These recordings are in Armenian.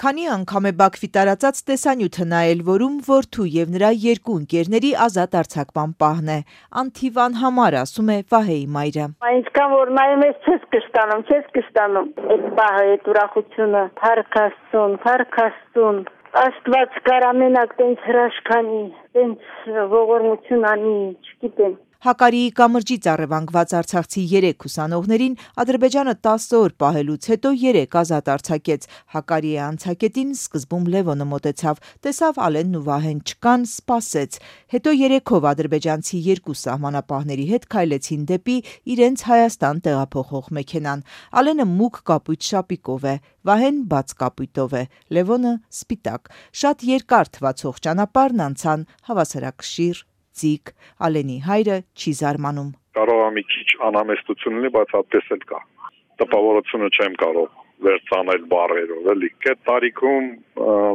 Քանի անգամ է Բաքվի տարածած տեսանյութը նայել, որում որդու եւ նրա երկու ընկերների ազատ արձակման պահն է։ Անթիվան համար, ասում է Վահեի մայրը։ Այնքան որ նայում ես չես կշտանում։ Այդ պահը, այդ ուրախությունը, փառք Աստծուն։ Աստված կարա մենակ տենց հրաշքանի, տենց ողորմություն անի, չգիտեմ։ Հակարիի կամրջից առևանգված արցախցի 3 ուսանողներին Ադրբեջանը 10 օր պահելուց հետո 3 ազատ արձակեց։ Հակարիի անցակետին սկզբում Լևոնը մոտեցավ, տեսավ Ալենն ու Վահեն չկան, սպասեց։ Հետո 3-ով ադրբեջանցի 2 սահմանապահների հետ քայլեցին դեպի իրենց Հայաստան տեղափոխող մեքենան։ Ալենը մուգ կապույտ շապիկով է, Վահեն բաց կապույտով է, Լևոնը սպիտակ։ Շատ երկար թվացող ճանապարհն անցան հավասարակշիռ ձիգ։ Ալենի հայրը չի զարմանում։ Կարող է մի քիչ անհամեստություն լինի, բայց այդպես էլ կա։ Տպավորությունը չեմ կարող վերցնել բառերով, էլի։ Այդ տարիքում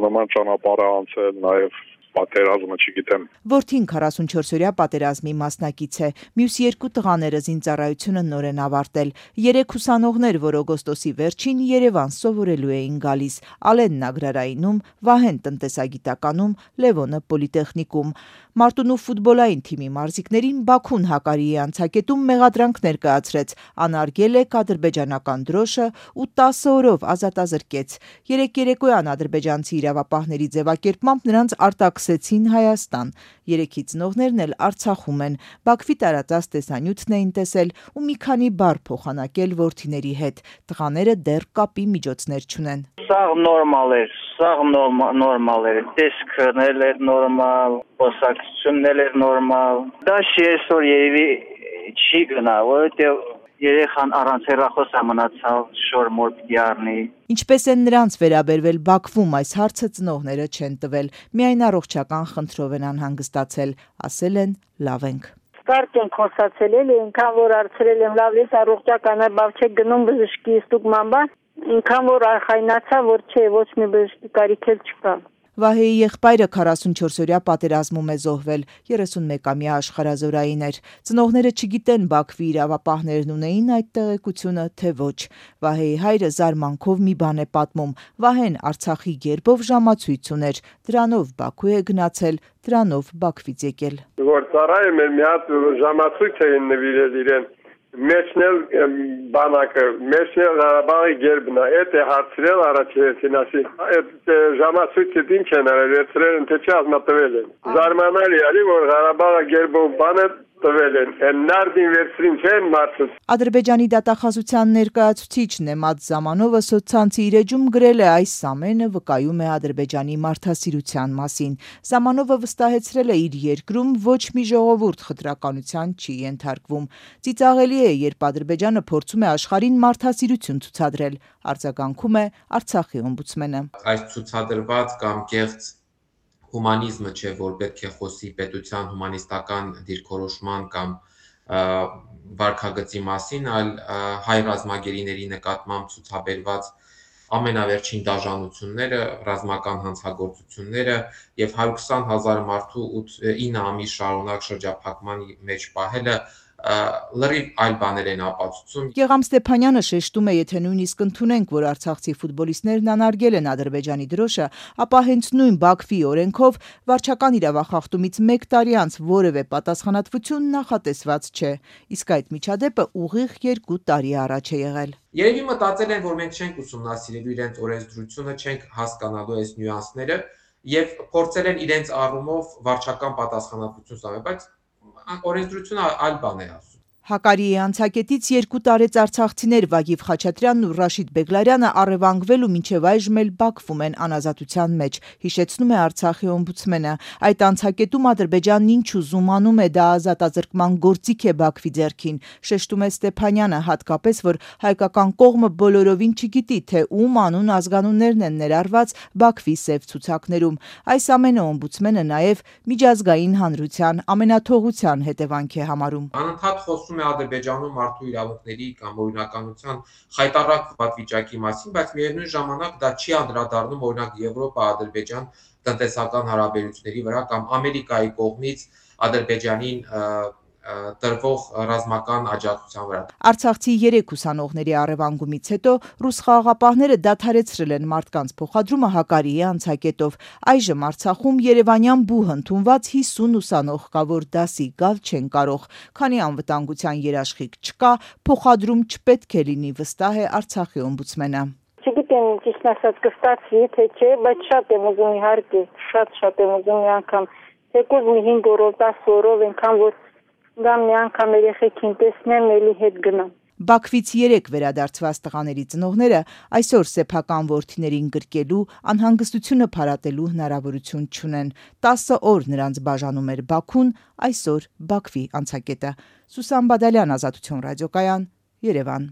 նման ճանապարհ անցել, նաև պատերազմը չգիտեմ։ Որդին 44-օրյա պատերազմի մասնակից է։ Մյուս 2 տղաները զինծառայությունը նոր են ավարտել։ 3 ուսանողներ, որ օգոստոսի վերջին Երևան սովորելու էին գալիս։ Ալենն agrarայինում, Վահեն տնտեսագիտականում, Լևոնը պոլիտեխնիկում։ Մարտունու ֆուտբոլային թիմի մարզիկներին Բաքուն Հակարիի անցակետում մեղադրանք ներկայացրեց, անարգել է ադրբեջանական դրոշը ու 10 օրով ազատազրկեց։ Երեկոյան ադրբեջանցի իրավապահների ձևակերպմամբ նրանց արտաքսեցին Հայաստան։ 3 ծնողներն էլ Արցախում են։ Բաքվի տարածած տեսանյութն էին տեսել ու մի քանի բառ փոխանակել որդիների հետ։ Տղաները դեռ կապի միջոցներ չունեն։ Սաղ նորմալ էր, տեսքն էր նորմալ, խոսակցությունն էր նորմալ։ Դա այսօր երևի չի գնա, որովհետև երեխան առանց հեռախոս մնացավ, շոր մոր պիտի առնի։ Ինչպես են նրանց վերաբերվել Բաքվում, այս հարցը ծնողները չեն տվել, միայն առողջական խնդրով են անհանգստացել, ասել են լավ ենք։ Կարճ ենք խոսացել, այնքան որ հարցրել եմ լավ ես առողջական բավ չէ գնում բժշկի ստուգման բան, այնքան որ արխայնացա, որ չէ, ոչ մի բժշկի կարիք էլ չկա։ Վահեի եղբայրը 44-օրյա պատերազմում է զոհվել, 31-ամյա աշխարհազորային էր։ Ծնողները չգիտեն Բաքվի իրավապահներն ունեին այդ տեղեկությունը, թե ոչ։ Վահեի հայրը զարմանքով մի բան է պատմում. Վահեն Արցախի գերբով ժամացույց ուներ, դրանով Բաքու է գնացել, դրանով Բաքվից եկել։ Որ ծառայում էր մի հատ ժամացույց էին նվիրել իրեն։ Մեջնել բանակը, մեջնել Ղարաբաղի գերբն է, այդ է հարցրել առաջին ասի, այդ ժամացույցը ինչ են արել, վերցրել են, թե չի ազնատվել են։ Զարմանալի է, որ Ղարաբաղը գերբով բանը տվել են, նարդին վերցրին չեն մարդը։ Ադրբեջանի դատախազության ներկայացուցիչ Նեմատ Զամանովը սոցցանցի իր էջում գրել է այս ամենը վկայում է Ադրբեջանի մարդասիրության մասին։ Զամանովը վստահեցրել է իր երկրում ոչ մի ժողովուրդ խտրականության չի ենթարկվում։ Ծիծաղելի է, երբ Ադրբեջանը փորձում է աշխարհին մարդասիրություն ցուցադրել, արձագանքում է Արցախի օմբուդսմենը։ Այս ցուցադրված կամ կեղծ հումանիզմը չէ, որ պետք է խոսի պետության հումանիստական դիրքորոշման կամ վարքագծի մասին, այլ հայ ռազմագերիների նկատմամբ ցուցաբերված ամենավերջին դաժանությունները, ռազմական հանցագործությունները եւ 120,000 մարդու 9 ամիս շարունակ շրջափակման մեջ պահելը լրիվ այլ բաներ են ապացուցում։ Գեգամ Ստեփանյանը շեշտում է, եթե նույնիսկ ընդունենք, որ արցախցի ֆուտբոլիստներն անարգել են ադրբեջանի դրոշը, ապա հենց նույն Բաքվի օրենքով վարչական իրավախախտումից 1 տարի անց որևէ պատասխանատվություն նախատեսված չէ։ Իսկ այդ միջադեպը ուղիղ 2 տարի առաջ է եղել։ Երևի մտածել են, որ մենք չենք ուսումնասիրելու իրենց օրենսդրությունը, չենք հասկանալու այս նյուանսները եւ փորձել են իրենց առումով վարչական պատասխանատվություն ստանալ, բայց օրենսդրությունը այլ բան է ասում։ Հակարիի անցակետից 2 տարեց արցախցիներ Վագիվ Խաչատրյանն ու Ռաշիդ Բեգլարյանը առևանգվել ու մինչև այժմ էլ Բաքվում են անազատության մեջ, հիշեցնում է Արցախի օմբուդսմենը։ Այդ անցակետում Ադրբեջանն ինչ ուզում անում է, դա ազատազրկման գործիք է Բաքվի ձեռքին, շեշտում է Ստեփանյանը, հատկապես որ հայկական կողմը բոլորովին չգիտի, թե ում անուն ազգանուններն են ներառված Բաքվի սև ցուցակներում։ Այս ամենը օմբուդսմենը նաև միջազգային հանրության ամենաթողության հետևանք է համարում։ Անընդհատ խոսում է Ադրբեջանում մարդու իրավունքների կամ օրինականության խայտառակ վիճակի մասին, բայց միևնույն ժամանակ դա չի անդրադառնում օրինակ Եվրոպա-Ադրբեջան տնտեսական հարաբերությունների վրա կամ Ամերիկայի կողմից Ադրբեջանին տրվող ռազմական աջակցության վրա։ Արցախցի 3 ուսանողների առևանգումից հետո ռուս խաղաղապահները դադարեցրել են մարդկանց փոխադրումը Հակարիի անցակետով։ Այժմ Արցախում երևանյան բուհ ընդունված 50 ուսանող կա, որ դասի գալ չեն կարող։ Քանի անվտանգության երաշխիք չկա, փոխադրում չպետք է լինի, վստահ է Արցախի օմբուդսմենը։ Չգիտեմ ճիշտ ասած կստացվի, թե չէ, բայց շատ եմ ուզում իհարկե, շատ եմ ուզում մի անգամ, թեկուզ մի 5 օրով, 10 օրով այնքան որ գամ մի անգամ երեխեքին տեսնեմ, էլի հետ գնամ։ Բաքվից 3 վերադարձված տղաների ծնողները այսօր սեփական որդիներին գրկելու, անհանգստությունը փարատելու հնարավորություն չունեն։ 10 օր նրանց բաժանում էր Բաքուն, այսօր Բաքվի անցակետը։ Սուսան Բադալյան, Ազատություն ռադիոկայան, Երևան։